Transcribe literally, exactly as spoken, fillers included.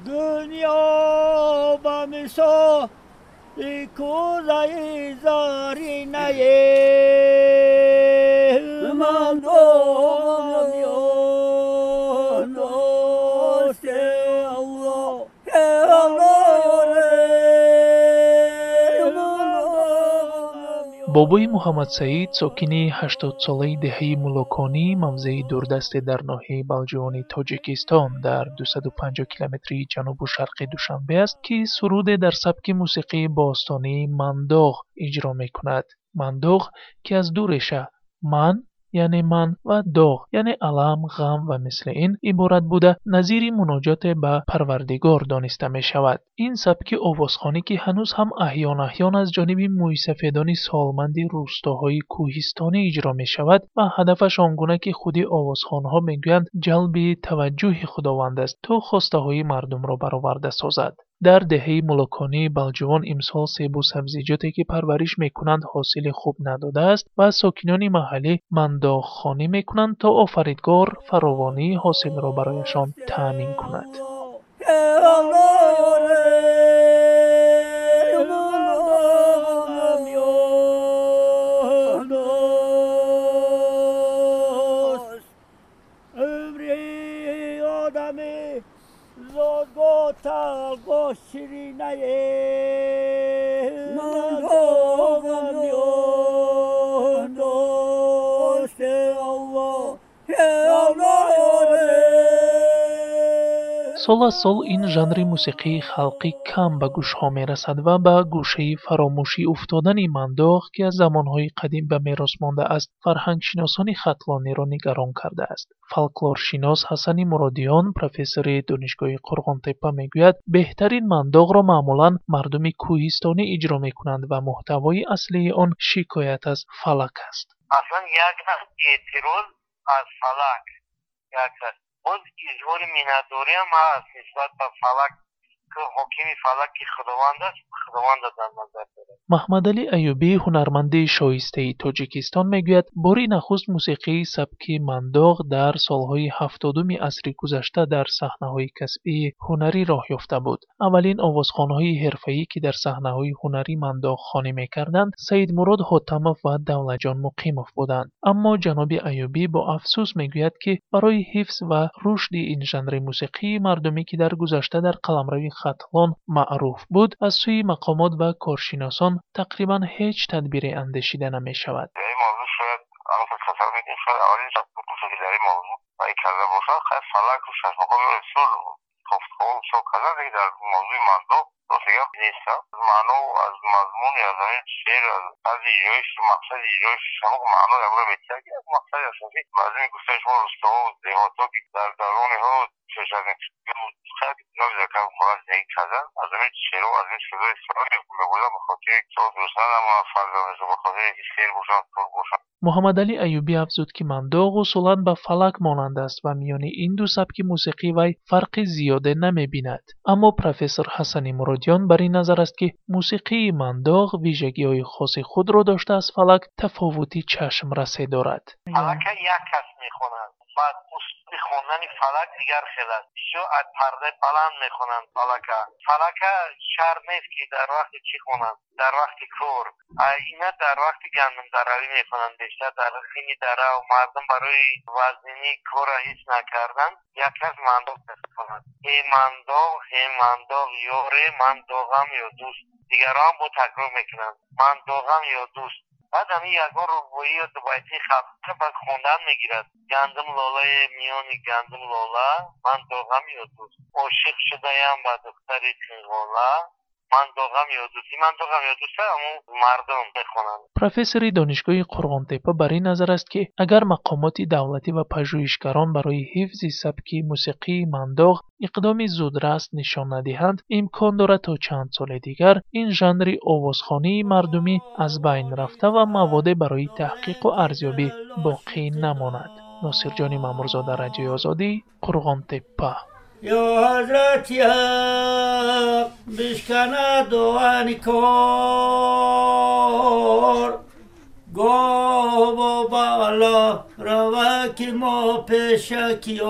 Дунё ба мисоли кӯзаи заринае, ман доғам ё дӯст, Аллоҳ, Аллоҳ. Бобои Муҳаммадсаид, сокини ҳаштодсолаи деҳаи Муллоконӣ, мавзеи дурдасте дар ноҳияи Балҷувони Тоҷикистон дар дусаду панҷоҳ километри ҷанубу шарқи Душанбе аст, ки суруде дар сабки мусиқии бостонии мандоғ иҷро мекунад. Мандоғ, ки аз ду реша ман, яъне ман, ва доғ, яъне алам, ғам ва мисли ин иборат буда, назири муноҷоте ба Парвардигор дониста мешавад. Ин сабки овозхонӣ, ки ҳанӯз ҳам аҳён аҳён аз ҷониби мӯйсафедони солманди рӯстоҳои кӯҳистонӣ иҷро мешавад ва ҳадафаш он гуна ки худи овозхонҳо мегӯянд, ҷалби таваҷҷӯҳи Худованд аст, то хостаҳои мардумро бароварда созад. Дар деҳаи Муллоконии Балҷувон имсол себу сабзиҷоте ки парвариш мекунанд, ҳосили хуб надодааст ва сокинони маҳаллӣ мандоғхонӣ мекунанд, то Офаридгор фаровонии ҳосилро барояшон таъмин кунад. Сол аз сол ин жанри мусиқии халқӣ кам ба гӯшҳо мерасад ва ба гӯшаи фаромӯшӣ уфтодани мандоғ, ки аз замонҳои қадим ба мерос мондааст, фарҳангшиносони хатлониро нигарон кардааст. Фолклоршинос Ҳасани Муродиён, профессори Донишгоҳи Қурғонтеппа, мегӯяд, беҳтарин мандоғро маъмулан мардуми кӯҳистонӣ иҷро мекунанд ва муҳтавои аслии он шикоят аз фалак аст. Аслан як эътироз аз фалак, як боз изҳори миннатдориам ҳаст нисбат ба фалак, ки ҳокими фалак ки Худованд аст, Худовандро дар назар дорад. Маҳмадалӣ Аюбӣ, ҳунарманди шоистаи Тоҷикистон, мегӯяд, бори нахуст мусиқии сабки мандоғ дар солҳои ҳафтодуми асри гузашта дар саҳнаҳои касбии ҳунарӣ роҳ ёфта буд. Аввалин овозхонҳои ҳирфаӣ, ки дар саҳнаҳои ҳунарӣ мандоғхонӣ мекарданд, Саидмурод Ҳотамов ва Давлатҷон Муқимов буданд. Аммо ҷаноби Аюбӣ бо афсӯс мегӯяд, ки барои ҳифз ва рушди ин жанри мусиқии мардумӣ, ки дар гузашта дар қаламрави Хатлон маъруф буд, аз сӯи мақомот ва коршиносон тақрибан ҳеҷ тадбире андешида намешавад. Дар ин мавзӯъ шояд тасаввур мекунем, шояд аввалин бошад, ки дар ин мавзӯъ вай карда бошад. Хайр, фалаку шашмақом бисёр кофтуков бисёр кардан, лекин дар мавзӯи мандоғ рост гап нест. Маъно аз мазмуни аз ҳамин шеър, аз тарзи иҷроиш, мақсади иҷроиш ҳамон маъно ягона метиҳад, ки як мақсади асосӣ мардуми гуфтаи шумо рӯстоҳо, деҳотҳо, ки дар давронҳо пеш аз ин хона зиндагӣ кардан, аз ҳамин шеърҳо, аз ҳамин чизҳо истифода мебурданд, ба хотири гурусна намонанд фарзандашон, ба хотири ки сер бошанд, пур бошанд. Муҳаммадалӣ Аюбӣ афзуд, ки мандоғ усулан ба фалак монанд аст ва миёни ин ду сабки мусиқӣ вай фарқи зиёде намебинад. Аммо профессор Ҳасани Муродиён бар ин назар аст, ки мусиқии мандоғ вижагиҳои хоси худро дошта, аз фалак тафовути чашмрасе дорад. Фалака як кас мехонад, баъд услуби хондани фалак дигар хел аст. Бисёр аз пардаи баланд мехонанд фалака. Фалака шарт нест, ки дар вақти чӣ хонанд, дар вақти кор. Ина дар вақти гандумдаравӣ мехонанд, бештар дар хини дарав мардум барои вазнинии корро ҳис накардан як кас мандоғ мехонад. Эй мандоғ, эй мандоғ, ёре, ман доғам ё дӯст. Дигарон бо такрор мекунанд, ман доғам ё дӯст. Баъд ҳамин ягон рубоӣ ё дубайтии халқ баъд хондан мегирад. Гандум лолаи миёни гандум лола, ман доғам ё дӯст. Ошиқ шудаям ба духтари қинғола, ман доғам ё дӯст. Ман доғам ё дӯст ҳамон мардум мехонанд. Профессори Донишгоҳи Қурғонтеппа бар ин назар аст, ки агар мақомоти давлатӣ ва пажӯҳишгарон барои ҳифзи сабки мусиқии мандоғ иқдоми зудрас нишон надиҳанд, имкон дорад то чанд соли дигар ин жанри овозхонии мардумӣ аз байн рафта ва маводе барои таҳқиқу арзёбӣ боқӣ намонад. Носирҷони Маъмурзода, Радиои Озодӣ, Қурғонтеппа. Ё Ҳазрати Ҳақ, бишканад дуани кор, гоҳ бо бало рава, ки мо пешакиёр.